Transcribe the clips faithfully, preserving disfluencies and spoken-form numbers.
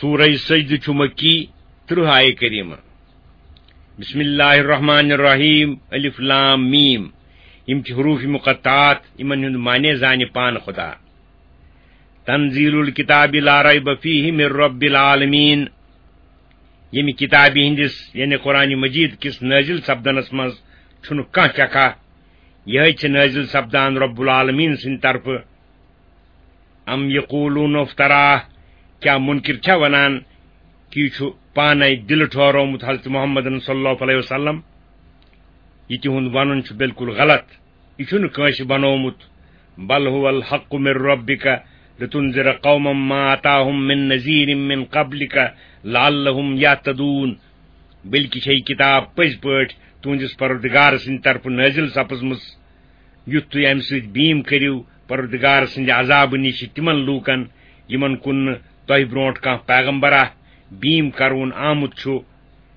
سورہ سجدہ چھُ مکی، ترٕٛہ آیہِ کریمہ۔ بسم اللہ الرحمن الرحیم، الف لام میم۔ یِم چھِ حروف مقطعات، یِمن ہُنٛد معنی زانہِ پانہٕ خدا۔ تنزیل الکتاب لا ریب فیہ من رب العالمین۔ ییٚمہِ کتابہِ ہٕنٛدِس، یعنی قرآن مجید کِس نٲزِل سپدنس منٛز چھُنہٕ کانٛہہ شکھا۔ یِہوٚے چھِ نٲزِل سپدان رب العالمین سٕنٛدِ طرفہٕ۔ ام یقولون افتراه، کیا منکر چھا ونان کہِ یہِ چھُ پانے دِلہٕ ٹھہرومُت حضرت محمدن صلی اللہ علیہ وسلم؟ یہِ تِہُنٛد ونُن چھُ بالکل غلط۔ یہِ چھُنہٕ کٲنٛسہِ بنومُت۔ بل هو الحق من ربك لتنذر قوما ما اتاهم من نذير من قبلك لعلهم يهتدون۔ بلکہِ چھے کتاب پٔزۍ پٲٹھۍ تُہنٛدِس پروردگار سٕنٛدِ طرفہٕ نٲزِل سپٕزمٕژ، یُتھ تُہۍ امہِ سۭتۍ بیٖم کٔرِو پروردگار سٕنٛدِ عذابہٕ نِش تِمن لوٗکن، یِمن کُن نہٕ تۄہہِ برونٛٹھ کانٛہہ پیغمبرا بیٖم کرون آمُت چھُ،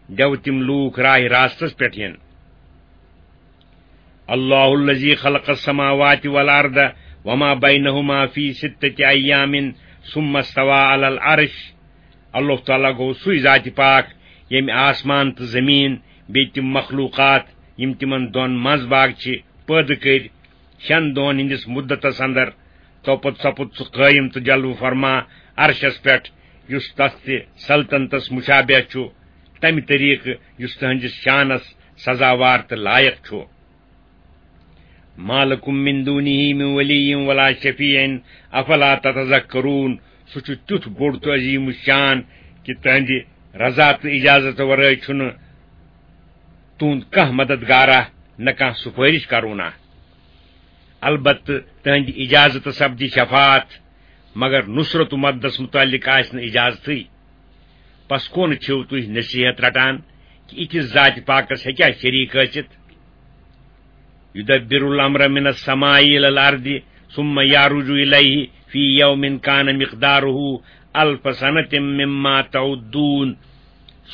دیو تِم لوٗکھ راہِ راستس پٮ۪ٹھ یِن۔ اللہ الذی خلق السماوات والارض وما بینہما فی ستۃ ایام ثم استوی علی العرش۔ اللہ تعالیٰ گوٚو سُے ذاتِ پاک، ییٚمۍ آسمان تہٕ زٔمیٖن، بیٚیہِ تِم مخلوٗقات، یِم تِمن دۄن منٛز باگ چھِ، پٲدٕ کٔرۍ شٮ۪ن دۄہن ہٕنٛدِس مُدتس اندر۔ توپتہٕ سپُد سُہ قٲیِم تہٕ جلوٕ فرما عرشس پٮ۪ٹھ، یُس تس تہِ سلطنتس مشابہ چھُ، تمہِ طریقہٕ یُس تہنٛدِس شانس سزاوار تہٕ لایق چھُ۔ ما لکم من دونہ من ولی ولا شفیع افلا تتذکرون۔ سُہ چھُ تیُتھ بوٚڑ تہٕ عظیم الشان کہِ تہنٛدِ رضا تہٕ اجازت ورٲے چھُنہٕ تُہُنٛد کانٛہہ مددگارا، نہ کانٛہہ سُفٲرِش کرونہ۔ البتہٕ تہنٛدِ اجازت سپدِ شفاعت، مگر نصرت و مددس متعلق آسہِ نہٕ اجازتھٕے۔ پس کونہٕ چھِو تُہۍ نصیحت رٹان کہِ یِتھِس ذاتِ پاکس ہیٚکیٛاہ شریٖک ٲسِتھ؟ یدبر الامر من السماء الى الارض ثم يعرج الیہ فی یوم کان مقدارہ الف سنة مما تعدون۔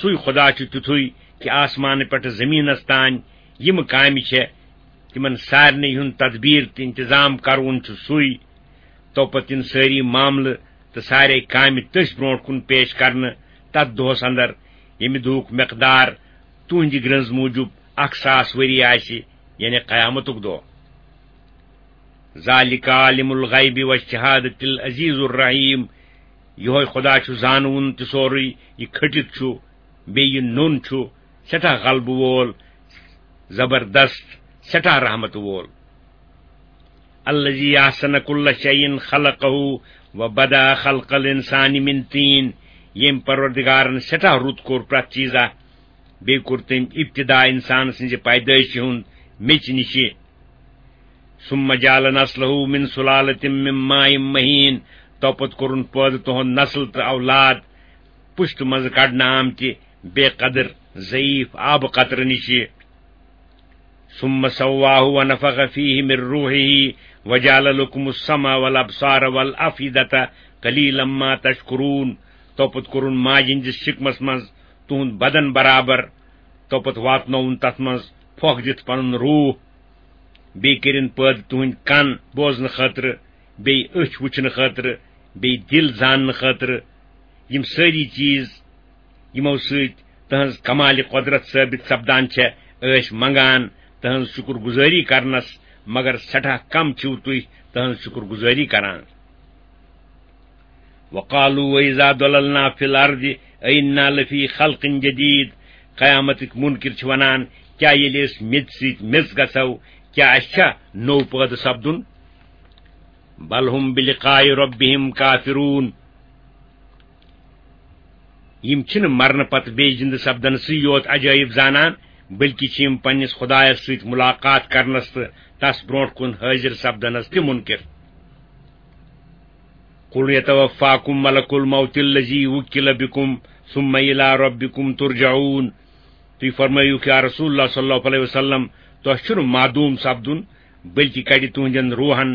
سُے خدا چھُ تیُتھُے کہِ آسمانہٕ پٮ۪ٹھٕ زٔمیٖنس تام یِم کامہِ چھےٚ، تِمن سارنٕے ہُنٛد تدبیٖر تہٕ انتظام کرون چھُ سُے۔ توپتہٕ یِن سٲری معاملہٕ تہٕ سارے کامہِ تٔسۍ برونٛٹھ کُن پیش کرنہٕ تتھ دۄہس اندر، ییٚمہِ دۄہُک مقدار تُہنٛدِ گرٛنٛز موٗجوٗب اکھ ساس ؤری آسہِ، یعنی قیامتُک دۄہ۔ ذالک عالم الغیب والشہادۃ العزیز الرحیم۔ یِہوٚے خدا چھُ زانوُن تہِ سورُے، یہِ کھٔٹِتھ چھُ، بیٚیہِ یہِ نوٚن چھُ، سٮ۪ٹھاہ غلبہٕ وول، زبردست، سٮ۪ٹھاہ رحمت وول۔ الذی احسن کل شیء خلقہ وبدأ خلق الانسان من طین۔ ییٚمۍ پروردگارن سٮ۪ٹھاہ رُت کوٚر پرٛٮ۪تھ چیٖزا، بیٚیہِ کوٚر تٔمۍ ابتدا انسان سٕنٛزِ پیدٲیشہِ ہُنٛد میٚژِ نِشہِ۔ ثم جعل نسلہ من سلالۃ من ماء مہین۔ توپتہٕ کوٚرُن پٲدٕ تُہُنٛد نسل تہٕ اولاد پُشتہٕ منٛزٕ کڑنہٕ آمتہِ بے قدر ضعیف آبہٕ قطرٕ نِشہِ۔ ثم سواه ونفخ فیہ من روحہ وجعل لکم السمع والابصار والافئدۃ قلیلا ما تشکرون۔ توپتہٕ کوٚرُن ماجہِ ہٕنٛدِس شکمس منٛز تُہُنٛد بدن برابر۔ توپتہٕ واتنووُن تتھ منٛز پھۄکھ دِتھ پنُن روح۔ بیٚیہِ کٔرِن پٲدٕ تُہٕنٛدۍ کن بوزنہٕ خٲطرٕ، بیٚیہِ أچھ وٕچھنہٕ خٲطرٕ، بیٚیہِ دِل زاننہٕ خٲطرٕ۔ یِم سٲری چیٖز، یِمو سۭتۍ تٕہٕنٛز کمالِ قۄدرت ثٲبت سپدان چھےٚ، ٲسۍ منگان تٕہٕنٛز شُکر گُزٲری کرنس، مگر سٮ۪ٹھاہ کم چھِو تُہۍ تٕہٕنٛز شُکر گُزٲری کران۔ وقالوا وإذا ضللنا في الأرض أئنا لفي خلق جديد۔ قیامتٕکۍ منکر چھِ ونان، کیا ییٚلہِ أسۍ میٚژِ سۭتۍ میٚژ گژھو، کیا اَسہِ چھا نوٚو پٲدٕ سپدُن؟ بل هم بلقاء ربهم کافرون۔ یِم چھِنہٕ مرنہٕ پتہٕ بیٚیہِ زِندٕ سپدنسٕے یوت عجٲیب زانان، بلکہِ چھِ یِم پننِس خدایس سۭتۍ ملاقات کرنس تہٕ تس برونٛٹھ کُن حٲضِر سپدنس تہِ منکر۔ قل يتوفاكم ملك الموت الذي وكل بكم ثم إلى ربكم ترجعون۔ تُہۍ فرمٲیِو کہ یا رسول اللہ صلی اللہ علیہ وسلم، تۄہہِ چھُنہٕ معدوم سپدُن، بلکہ کڑِ تُہنٛدٮ۪ن روحن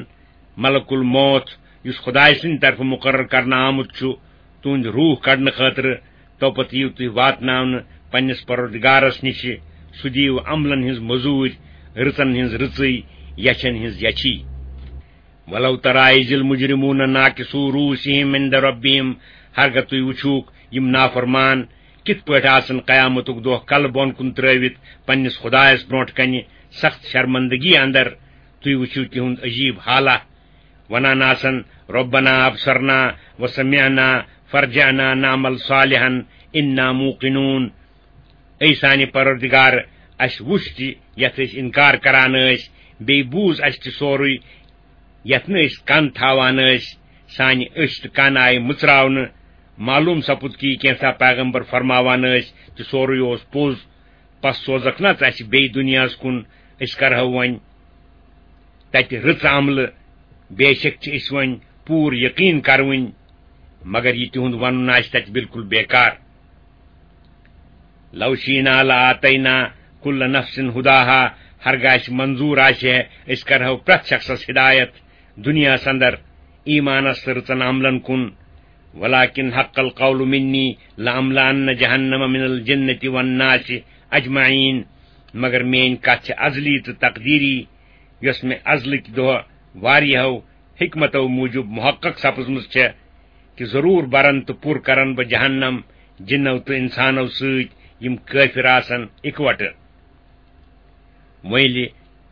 ملک الموت، یُس خدایہِ سٕنٛدِ طرفہٕ مقرر کرنہٕ آمُت چھُ تُہنٛدۍ روح کڑنہٕ خٲطرٕ۔ توپتہٕ یِیِو تُہۍ واتناونہٕ پننِس پروردگارس نِشہِ، سُہ دِیِو عملن ہٕنٛز مٔزوٗرۍ، رٕژن ہٕنٛز رٕژٕے، یچھن ہٕنٛز یچھی۔ ولو ترى إذ المجرمون ناكسوا رؤوسهم عند ربهم۔ ہرگاہ تُہۍ وٕچھوکھ یِم نافرمان کِتھ پٲٹھۍ آسن قیامتُک دۄہ کلہٕ بۄن کُن ترٲوِتھ پننِس خدایس برونٛٹھ کنہِ سخت شرمندگی اندر؟ تُہۍ وٕچھِو تِہُنٛد عجیب حالہ۔ ونان آسن، "ربنا ابصرنا وسمعنا فارجعنا نعمل صالحا انا موقنون"۔ اے سانہِ پروردگار، اسہِ وُچھ تہِ یتھ أسۍ انکار کران ٲسۍ، بیٚیہِ بوٗز اسہِ تہِ سورُے یتھ نہٕ أسۍ کن تھاوان ٲسۍ۔ سانہِ أچھ تہٕ کن آیہِ مٕژراونہٕ۔ معلوم سپُد کہِ یہِ کینٛژھا پیغمبر فرماوان ٲسۍ تہِ سورُے اوس پوٚز۔ پس سوزکھ نہ ژٕ اسہِ بیٚیہِ دُنیاہس کُن، أسۍ کرہو وۄنۍ تتہِ رٕژ عملہٕ، بے شک چھِ أسۍ وۄنۍ پوٗرٕ یقین کروٕنۍ۔ مگر یہِ تِہُنٛد ونُن آسہِ تتہِ بالکل بیکار۔ لو شینا لآتینا کل نفس ہداہا، ہرگاہ اسہِ منظور آسہِ ہے، أسۍ کرہو پرٛٮ۪تھ شخصس ہدایت دُنیاہس اندر ایمانس تہٕ رٕژن عملن کُن۔ ولکن حق القول منی لاملأن جہنم من الجنة والناس اجمعین، مگر میٲنۍ کتھ چھِ ازلی تہٕ تقدیری، یۄس مےٚ ازلٕکۍ دۄہ واریاہو حکمتو موٗجوب محقق سپٕزمٕژ چھےٚ، کہِ ضروٗر برن تہٕ پُر کرن بہٕ جہنم جِنو تہٕ انسانو سۭتۍ، یِم کٲفِر آسن اِکوٹہٕ۔ وۄنۍ ییٚلہِ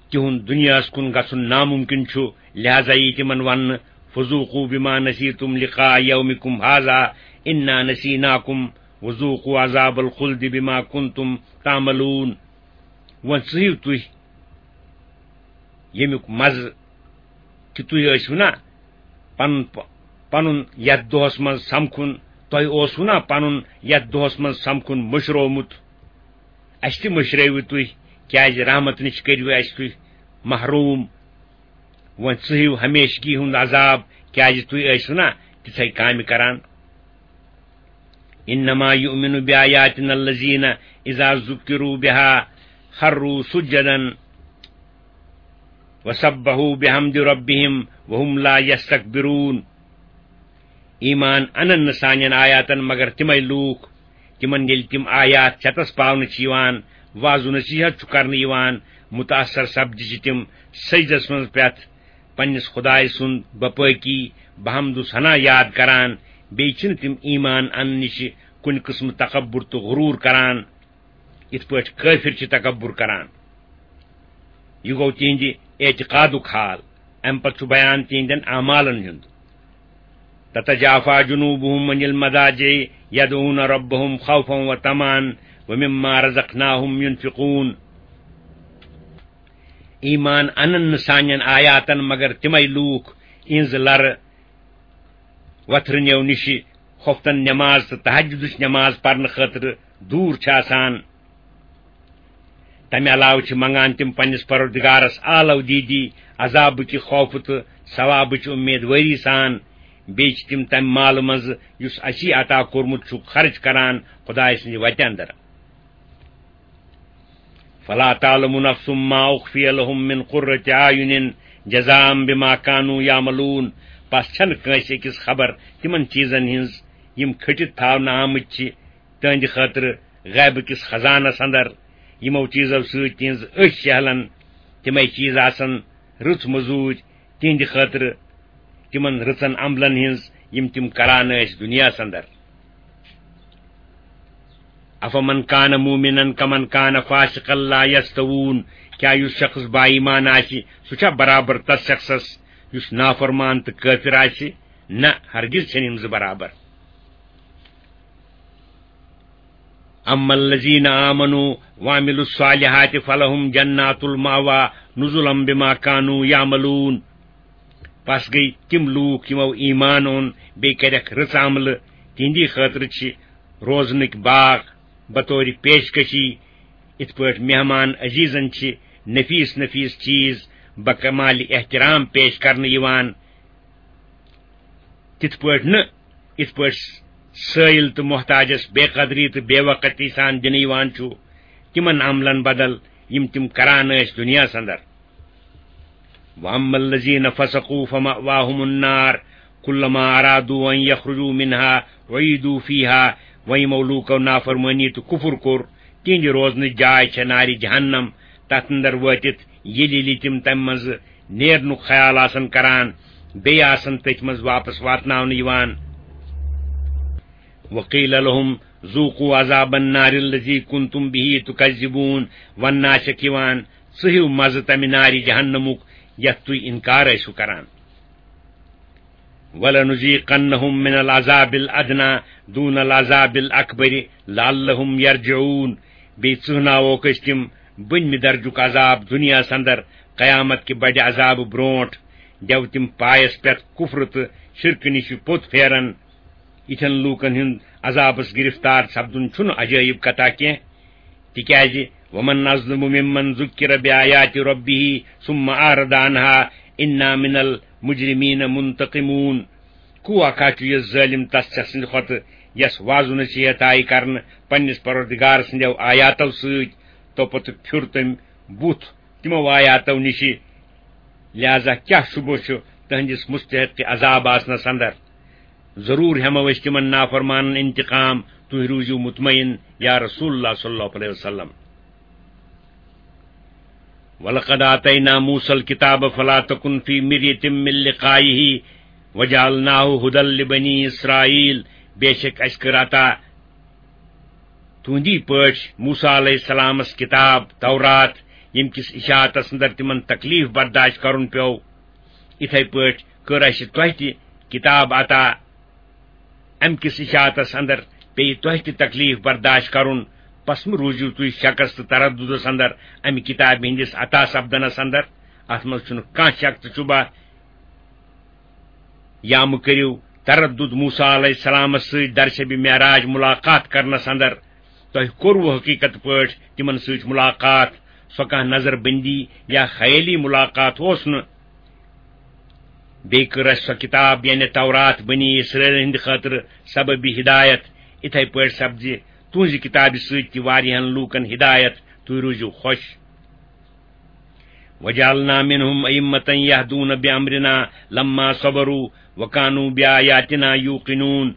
تِہُنٛد دُنیاہَس کُن گژھُن نامُمکِن چھُ، لہذا یی تِمن وننہٕ، "فذوقوا بما نسیتم لقاء یومکم ھذا انا نسیناکم وذوقوا عذاب الخلد بما کنتم تعملون"۔ وۄنۍ ژٕہِو تُہۍ ییٚمیُک مزٕ کہِ تُہۍ ٲسِو نا پنُن پ-، پنُن یتھ دۄہس منٛز سمکھُن، تۄہہِ اوسوٕ نا پنُن یتھ دۄہس منٛز سمکھُن مٔشرومُت، اسہِ تہِ مٔشرٲوِو تُہۍ، کیازِ رحمت نِش کٔرِو اسہِ تُہۍ محروم۔ وۄنۍ ژٕہِو ہمیشگی ہُنٛد عذاب، کیازِ تُہۍ ٲسِو نا تِژھے کامہِ کران۔ انما یؤمن بآیاتنا الذین اذا ذکروا بها خروا سجدا وسبحوا بحمد ربهم وهم لا یستکبرون۔ ایمان انن نہٕ سانٮ۪ن آیاتن مگر تِمے لوٗکھ، تِمن ییٚلہِ تِم آیات چتس پاونہٕ چھِ یِوان، وعظ و نصیحت چھُ کرنہٕ یِوان، متاثر سپدِ چھِ تِم سجدس منٛز پرٛٮ۪تھ پننِس خدایہِ سُنٛد بپٲکی بحمد و ثنا یاد کران، بیٚیہِ چھِنہٕ تِم ایمان اننہٕ نِش کُنہِ قٕسمہٕ تکبر تہٕ غرور کران، یِتھ پٲٹھۍ کٲفِر چھِ تکبر کران۔ یہِ گوٚو تِہنٛدِ اعتقادُک حال۔ امہِ پتہٕ چھُ بیان تِہنٛدٮ۪ن اعمالن ہُنٛد۔ تتجافى جنوبهم عن المضاجع يدعون ربهم خوفا وطمعا ومما رزقناهم ينفقون۔ ایمان انن نہٕ سانٮ۪ن آیاتن مگر تِمے لوٗکھ، یِہنٛز لرٕ وتھرٕ نیو نِشہِ خۄفتن نٮ۪ماز تہٕ تہجدٕچ نٮ۪ماز پرنہٕ خٲطرٕ دوٗر چھِ آسان۔ تمہِ علاوٕ چھِ منگان تِم پننِس پروردگارس آلو دیدی، عذابٕکہِ خوفہٕ تہٕ ثوابٕچ اُمیدوٲری سان۔ بیٚیہِ چھِ تِم تمہِ مالہٕ منٛزٕ یُس اسی عطا کوٚرمُت چھُکھ خرٕچ کران خدایہِ سٕنٛدِ وتہِ اندر۔ فلا تعلم نفس ما اخفی لهم من قرة اعین جزاء بما كانوا يعملون۔ پس چھنہٕ کٲنٛسہِ أکِس خبر تِمن چیٖزن ہٕنٛز یِم کھٔٹِتھ تھاونہٕ آمٕتۍ چھِ تہنٛدِ خٲطرٕ غیبہٕ کِس خزانس اندر، یِمو چیٖزو سۭتۍ تِہنٛز أچھ شہلن۔ تِمے چیٖز آسن رٕژ مٔزوٗرۍ تِہنٛدِ خٲطرٕ، تِمن رٕژن عملن ہٕنٛز یِم تِم کران ٲسۍ دُنیاہس اندر۔ افمن کان مومنا کمن کان فاسقا لا یستوون۔ کیا یُس شخص با ایمان آسہِ، سُہ چھا برابر تس شخصس یُس نافرمان تہٕ کٲفر آسہِ؟ نہ، ہرگز چھنہٕ یِم زٕ برابر۔ اما الذین آمنوا وعملوا الصالحات فلهم جنات المأوى نزلا بما كانوا يعملون۔ پس گٔے تِم لوٗکھ یِمو ایمان اوٚن بیٚیہِ کَرٮ۪کھ رٕژ عملہٕ، تِہنٛدی خٲطرٕ چھِ روزنٕکۍ باغ بطور پیشکشی، یِتھ پٲٹھۍ مہمان عزیزن چھِ نفیس نفیس چیٖز بکمال احترام پیش کرنہٕ یِوان، تِتھ پٲٹھۍ نہٕ، یِتھ پٲٹھۍ سٲیِل تہٕ محتاجس بے قدری تہٕ بے وقتی سان دِنہٕ یِوان چھُ، تِمن عملن بدل یِم تِم کران ٲسۍ دُنیاہس اندر۔ واما الذین فسقوا فمأواهم النار کلما ارادوا ان یخرجوا منها اعیدوا فیها۔ وۄنۍ یِمو لوٗکو نافرمٲنی تہٕ کُفُر کوٚر، تِہنٛدِ روزنٕچ جاے چھےٚ نارِ جہنم۔ تتھ اندر وٲتِتھ ییٚلہِ ییٚلہِ تِم تمہِ منٛزٕ نیرنُک خیال آسن کران، بیٚیہِ آسن تٔتھۍ منٛز واپس واتناونہٕ یِوان۔ وقیل لهم ذوقوا عذاب النار الذی کنتم به تکذبون۔ وننہٕ چھکھ یِوان، ژٕ ہیٚیِو مزٕ تمہِ نارِ جہنمُک یتھ تُہۍ انکار ٲسِو کران۔ ولنذیقنهم من العذاب الادنی دون العذاب الاکبر لعلهم یرجعون۔ بیٚیہِ ژٕہناووکھ أسۍ تِم بٔنمہِ درجُک عذاب دُنیاہس اندر، قیامت کہِ بڑِ عذابہٕ برونٹھ۔ دیو تِم پایس پٮ۪ٹھ کفر تہٕ شرکہٕ نِش پوٚت پھیرن۔ یِتھٮ۪ن لوٗکن ہُنٛد عذابس گرفتار سپدُن چھُنہٕ عجٲیب کتھا کینٛہہ، تِکیازِ ومن اظلم ممن ذکر بآیات ربه ثم اعرض عنها انا من المجرمین منتقمون۔ کوا کھا چھُ یہِ ظٲلم تس سٕنٛدِ کھۄتہٕ، یس وعظ و نصیحت آیہِ کرنہٕ پننِس پروردگار سٕنٛدیو آیاتو سۭتۍ، تو پتہٕ پھیُر تٔمۍ بُتھ تِمو آیاتو نِشہِ۔ لہذا کیٛاہ شبہٕ چھُ تہنٛدِس مستحق عذاب آسنس اندر؟ ضرور ہٮ۪مو أسۍ تِمن نافرمانن انتقام، تُہۍ روٗزِو مطمئن یا رسول اللہ صلی اللہ علیہ وسلم۔ ولقد آتینا موسى الكتاب فلا تكن في مرية من لقائه وجعلناه هدى لبني إسرائيل۔ بے شک اسہِ کٔر عطا تُہندی پٲٹھۍ موسیٰ علیہ السلامس کتاب تورات، ییٚمہِ کِس اشاعتس اندر تِمن تکلیف برداشت کرُن پیوٚو۔ یِتھے پٲٹھۍ کٔر اسہِ تۄہہِ تہِ کتاب عطا، امہِ کِس اشاعتس اندر پیٚیہِ تۄہہِ تہِ تکلیف برداشت کرُن۔ پس مہٕ روٗزِو تُہۍ شکس تہٕ ترددس اندر امہِ کتابہِ ہٕنٛدِس عطا سپدنس اندر۔ اتھ منٛز چھُنہٕ کانٛہہ شک تہٕ شبہ۔ یا مہٕ کٔرِو تردد موسیٰ علیہ السلامس سۭتۍ درشبِ معراج ملاقات کرنس اندر۔ تۄہہِ کوٚروٕ حقیقت پٲٹھۍ تِمن سۭتۍ ملاقات؟ سۄ کانٛہہ نظر بندی یا خیٲلی ملاقات اوس نہٕ۔ بیٚیہِ کٔر اسہِ سۄ کتاب، یعنی تورات، بنی اسرائیل ہٕنٛدِ خٲطرٕ سببِ ہدایت۔ یِتھے پٲٹھۍ سپدِ تُہنٛزِ کتابہِ سۭتۍ تہِ واریاہن لوٗکن ہدایت۔ تُہۍ روٗزِو خۄش۔ وجعلنا منهم أئمة يهدون بأمرنا لما صبروا وكانوا بآياتنا يوقنون۔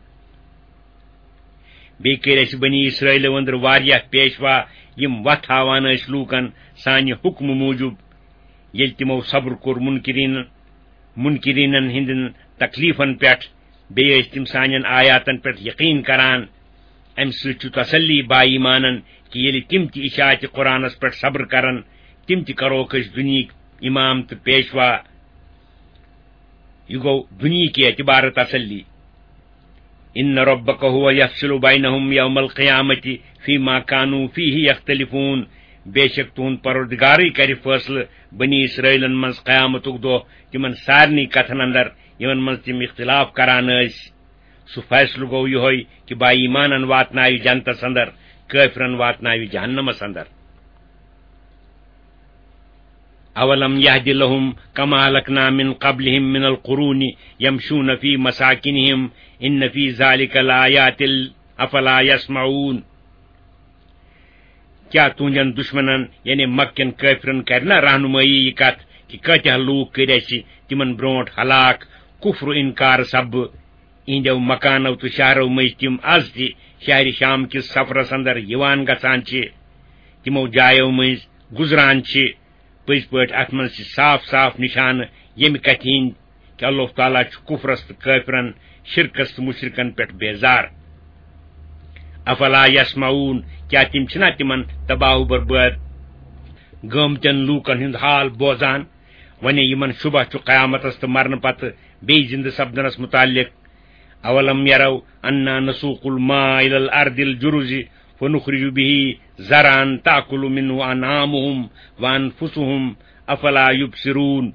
بیٚیہِ کٔرۍ اسہِ بنی اسرائیلو أنٛدرٕ واریاہ پیشوا، یِم وتھ ہاوان ٲسۍ لوٗکن سانہِ حُکمہٕ موٗجوٗب، ییٚلہِ تِمو صبر کوٚر منکرین، منکرینن ہٕنٛدٮ۪ن تکلیفن پٮ۪ٹھ۔ بیٚیہِ ٲسۍ تِم سانٮ۪ن آیاتن پٮ۪ٹھ یقین کران۔ امہِ سۭتۍ چھُ تسلی با ایمانن کہِ ییٚلہِ تِم تہِ اشاعتِ قرآنس پٮ۪ٹھ صبر کرن، تِم تہِ کروکھ أسۍ دُنیہٕکۍ امام تہٕ پیشوا۔ یہِ گوٚو دُنیہٕکہِ اعتبارٕ تسلی۔ ان ربک هو یفصل بینہم یوم القیامۃ فیما کانوا فیہ یختلفون۔ بے شک تُہُنٛد پروردگارٕے کرِ فٲصلہٕ بنی اسرائیلن منٛز قیامتُک دۄہ تِمن سارنٕے کتھن اندر، یِمن منٛز تِم اختلاف کران ٲسۍ۔ سُہ فٲصلہٕ گوٚو یِہوٚے کہِ با ایمانن واتناوِ جنتس اندر، کٲفرن واتناوِ جہنمس اندر۔ اولم یہد لہم کما اہلکنا من قبلہم من القرون یمشون فی مساکنہم ان فی ذالک لآیات افلا یسمعون۔ کیا تُہنٛدٮ۪ن دشمنن، یعنی مکہ کٮ۪ن کٲفرن، کرِ نہ رہنمٲیی یہِ کتھ کہِ کٲتیاہ لوٗکھ کٔرۍ اسہِ تِمن برونٹھ ہلاک، کفر و انکار سببہٕ؟ یِہنٛدیو مکانو تہٕ شہرو مٔنٛزۍ تِم از تہِ شہرِ شام کِس سفرس اندر یِوان گژھان چھِ، تِمو جایو مٔنٛزۍ گُزران چھِ۔ پٔزۍ پٲٹھۍ اتھ منٛز چھِ صاف صاف نشانہٕ ییٚمہِ کتھِ ہٕنٛدۍ کہِ اللہ تعالیٰ چھُ کفرس تہٕ کٲفرن، شرکس تہٕ مشرکن پٮ۪ٹھ بیزار۔ افلا یسمعون، کیا تِم چھِنا تِمن تباہ و برباد گٲمتٮ۪ن لوٗکن ہُنٛد حال بوزان؟ وۄنۍ یِمن شبہ چھُ قیامتس تہٕ مرنہٕ پتہٕ بیٚیہِ زندٕ سپدنس متعلق۔ اولم یروا انا نسوق الماء الى الارض الجرز فنخرج به زرعا تاکل منه انعامهم وانفسهم افلا یبصرون۔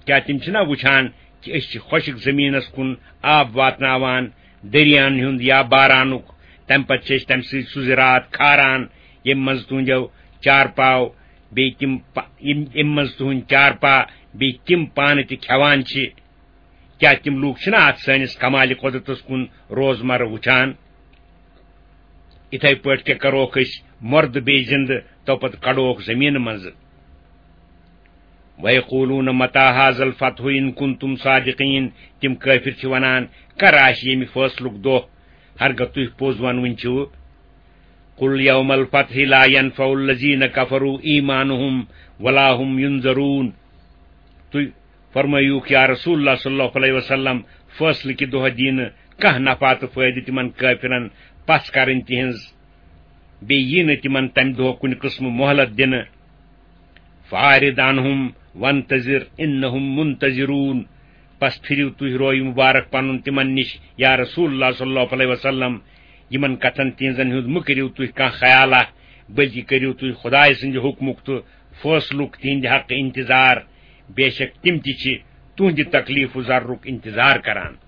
کیا تِم چھِنا وٕچھان کہِ أسۍ چھِ خۄشک زٔمیٖنس کُن آب واتناوان، دٔریاہن ہُنٛد یا بارانُک، تمہِ پتہٕ چھِ أسۍ تمہِ سۭتۍ سُہ زِراعت کھاران، ییٚمہِ منٛز تُہنٛدیو چارپاو بیٚیہِ تِم پا-، یِم، ییٚمہِ منٛز تُہنٛدۍ چارپا بیٚیہِ تِم پانہٕ تہِ کھٮ۪وان چھِ۔ کیا تِم لوٗکھ چھِنا اتھ سٲنِس کمالِ قۄدرتس کُن روزمرٕ وٕچھان؟ یِتھے پٲٹھۍ تہِ کروکھ أسۍ مردٕ بیٚیہِ زِندٕ، تو پتہٕ کڑوکھ زٔمیٖنہٕ منٛزٕ۔ وَيَقُولُونَ مَتَىٰ هَٰذَا الْفَتْحُ إِن كُنتُمْ صَادِقِينَ۔ تِم کٲفِر چھِ وَنان، کَر آسہِ ییٚمہِ فٲصلُک دۄہ، ہرگاہ تُہۍ پوٚز وَنوٕنۍ چھِو؟ قُلْ يَوْمَ الْفَتْحِ لَا يَنفَعُ الَّذِينَ كَفَرُوا إِيمَانُهُمْ وَلَا هُمْ يُنذَرُونَ۔ تُہۍ فرمٲیِوکھ، یا رسول اللہ صلی اللہ علیہ وسلم، فٲصلہٕ کہِ دۄہ دِنہٕ کانٛہہ نفع تہٕ فٲیدٕ تِمن کٲفرن پژھ کرٕنۍ تِہنٛز، بیٚیہِ یی نہٕ تِمن تمہِ دۄہ کُنہِ قٕسمہٕ مۄہلت دِنہٕ۔ فاعرض عنہم وانتظر انہم منتظرون۔ پس پھِرِو تُہۍ روے مُبارک پنُن تِمن نِش، یا رسول اللہ صلی اللہ علیہ وسلم۔ یِمن کتھن تِہنٛزن ہُنٛد مہٕ کٔرِو تُہۍ کانٛہہ خیالہ، بلکہِ کٔرِو تُہۍ خدایہِ سٕنٛدِ حُکمُک تہٕ فٲصلُک تِہنٛدِ حقہٕ انتظار۔ بے شک تِم تہِ چھِ تُہنٛدِ تکلیف و ضررُک انتظار کران۔